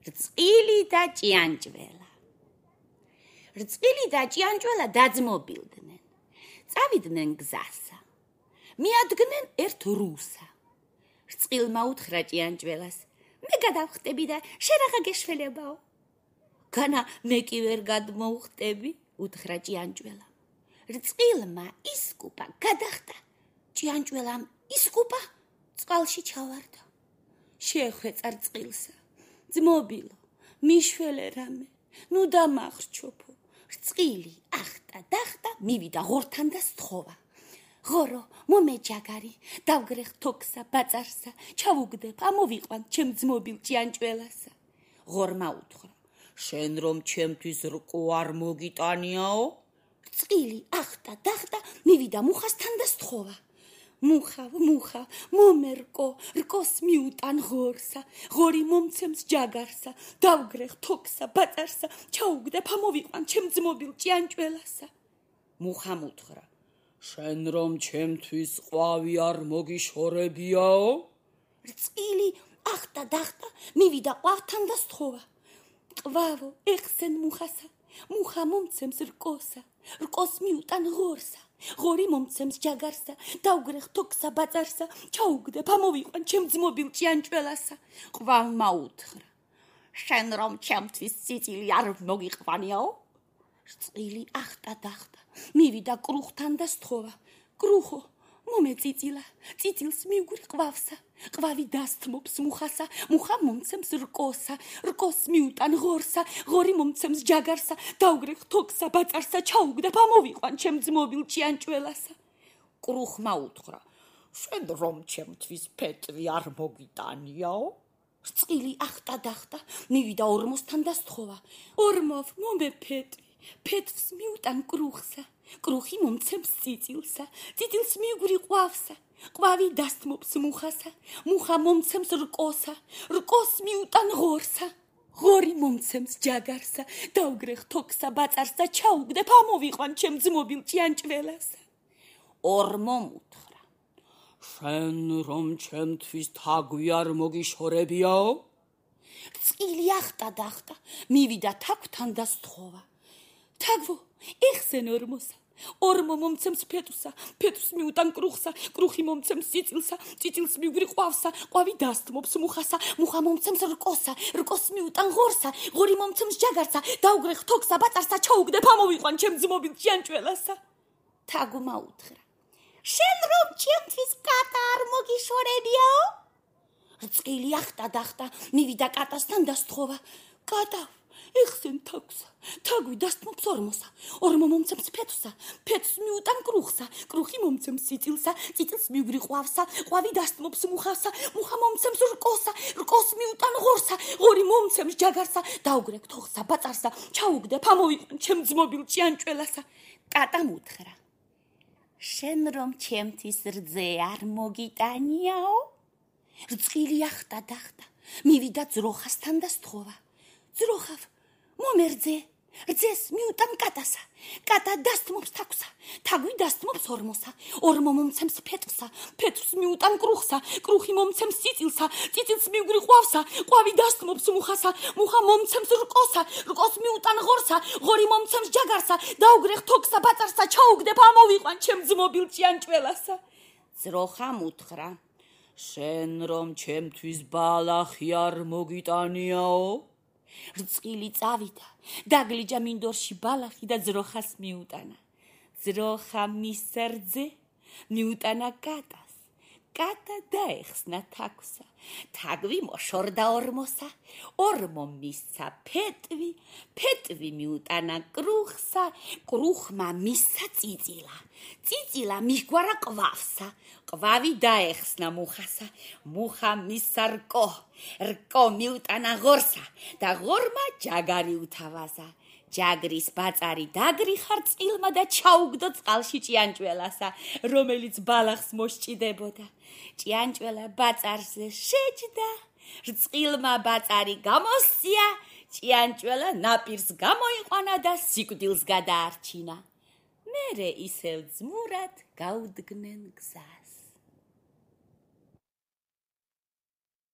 რწყილი და ჭიანჭველა. რწყილი და ჭიანჭველა დაძმობილდნენ. წავიდნენ გზასა. მიადგნენ ერთ რუსა. რწყილმა უთხრა ჭიანჭველას: მე გადავხტები და შენ რაღა გეშველებაო. განა მე კი ვერ გადმოვხტები, უთხრა ჭიანჭველა. რწყილმა ისკუპა, გადახტა. ჭიანჭველამ ისკუპა, წყალში ჩავარდა. შეხვეწა რწყილსა: ძმობილო, მიშველე რამე, ნუ დამახრჩოფო. რწყილი ახტა, დახტა, მივიდა ღორთან და სთხოვა. ღორო, მომეჯაგარი, დავგრეხ თოქსა, ბაწარსა, ჩავუგდებ, ამოვიყვან ჩემ ძმობილ ჭიანჭველასა. ღორმა უთხრა: შენ რომ ჩემთვის რკო არ მოგიტანიაო? რწყილი ახტა, დახტა, მივიდა მუხასთან და სთხოვა. მუხავ, მომერკო, რკოს მიუტან ღორსა, ღორი მომცემს ჯაგარსა, დავგრეხ თოქსა, ბაწარსა, ჩაუგდებ, ამოვიყვან ჩემ ძმობილ ჭიანჭველასა. მუხამ უთხრა: შენ რომ ჩემთვის ყვავი არ მოგიშორებიაო? რწყილი ახტა, დახტა, მივიდა ყვავთან და სთხოვა. ყვავო, ეხსენ მუხასა, მუხა მომცემს რკოსა, რკოს მიუტან ღორსა, ღორი მომცემს ჯაგარსა, დავგრეხ თოქსა, ბაწარსა, ჩაუგდებ, ამოვიყვან ჩემ ძმობილ ჭიანჭველასა. ყვავმა უთხრა: შენ რომ ჩემთვის წიწილი არ მოგიყვანიაო? რწყილი ახტა, დახტა, მივიდა კრუხთან და სთხოვა. კრუხო, მომეწიწილა, წიწილს მივგვრი ყვავსა, ყვავი დასთმობს მუხასა, მუხა მომცემს რკოსა, რკოს მიუტან ღორსა, ღორი მომცემს ჯაგარსა, დავგრეხ თოქსა, ბაწარსა, ჩაუგდებ, ამოვიყვან ჩემ ძმობილ ჭიანჭველასა. კრუხმა უთხრა: შენ რომ ჩემთვის ფეტვი არ მოგიტანიაო? რწყილი ახტა, დახტა, მივიდა ორმოსთან და სთხოვა. ორმოვ, მომეფეტვი, ფეტვს მიუტან კრუხსა, კრუხი მომცემს წიწილსა, წიწილს მივგვრი ყვავსა, ყვავი დასთმობს მუხასა, მუხა მომცემს რკოსა, რკოს მიუტან ღორსა, ღორი მომცემს ჯაგარსა, დავგრეხ თოქსა, ბაწარსა, ჩაუგდებ, ამოვიყვან ჩემ ძმობილ ჭიანჭველასა. ორმომ უთხრა: შენ რომ ჩემთვის თაგვი არ მოგიშორებიაო? რწყილი ახტა, დახტა, მივიდა თაგვთან და სთხოვა. თაგვო, ეხსენ ორმოსა, ორმო მომცემს ფეტვსა, ფეტვს მიუტან კრუხსა, კრუხი მომცემს წიწილსა, წიწილს მივგვრი ყვავსა, ყვავი დასთმობს მუხასა, მუხა მომცემს რკოსა, რკოს მიუტან ღორსა, ღორი მომცემს ჯაგარსა, დავგრეხ თოქსა, ბაწარსა, ჩაუგდებ, ამოვიყვან ჩემ ძმობილ ჭიანჭველასა. თაგვმა უთხრა: შენ რომ ჩემთვის კატა არ მოგიშორებიაო? რწყილი ახტა, დახტა, მივიდა კატასთან და სთხოვა. კატა, ეხსენ თაგვსა, თაგვი დასთმობს ორმოსა, ორმო მომცემს ფეტვსა, ფეტვს მიუტან კრუხსა, კრუხი მომცემს წიწილსა, წიწილს მივგვრი ყვავსა, ყვავი დასთმობს მუხასა, მუხა მომცემს რკოსა, რკოს მიუტან ღორსა, ღორი მომცემს ჯაგარსა, დავგრეხ თოხსა, ბაწარსა, ჩაუგდებ, ამოვიყვან ჩემ ძმობილ ჭიანჭველასა. კატამ უთხრა: შენ რომ ჩემთვის რძე არ მოგიტანიაო? რწყილი ახტა, დახტა, მივიდა ძროხასთან და სთხოვა. ძროხავ, მომერძე, რძეს მიუტან კატასა, კატა დასთმობს თაგვსა, თაგვი დასთმობს ორმოსა, ორმო მომცემს ფეტვსა, ფეტვს მიუტან კრუხსა, კრუხი მომცემს წიწილსა, წიწილს მივგვრი ყვავსა, ყვავი დასთმობს მუხასა, მუხა მომცემს რკოსა, რკოს მიუტან ღორსა, ღორი მომცემს ჯაგარსა, დავგრეხ თოქსა, ბაწარსა, ჩაუგდებ, ამოვიყვან ჩემ ძმობილ ჭიანჭველასა. ძროხამ უთხრა: შენ რომ ჩემთვის ბალახი არ მოგიტანიაო? რწყილი წავიდა, დაგლიჯა მინდორში ბალახი და ძროხას მიუტანა. ძროხა მისცა რძე, მიუტანა კატას, კატა დაეხსნა თაგვსა, თაგვი მოშორდა ორმოსა, ორმო მისცა ფეტვი, ფეტვი მიუტანა კრუხსა, კრუხმა მისცა წიწილა, წიწილა მიჰგვარა ყვავსა, ყვავი დაეხსნა მუხასა, მუხა მისცა რკო, რკო მიუტანა ღორსა და ღორმა ჯაგარი უთავაზა. ჯაგრის ბაწარი დაგრიხა რწყილმა და ჩაუგდო წყალში ჭიანჭველასა, რომელიც ბალახს მოსჭიდებოდა. ჭიანჭველა ბაწარზე შეჯდა, რწყილმა ბაწარი გამოსცია, ჭიანჭველა ნაპირს გამოიყვანა და სიკვდილს გადაარჩინა. მერე ისევ ძმურად გაუდგნენ გზას.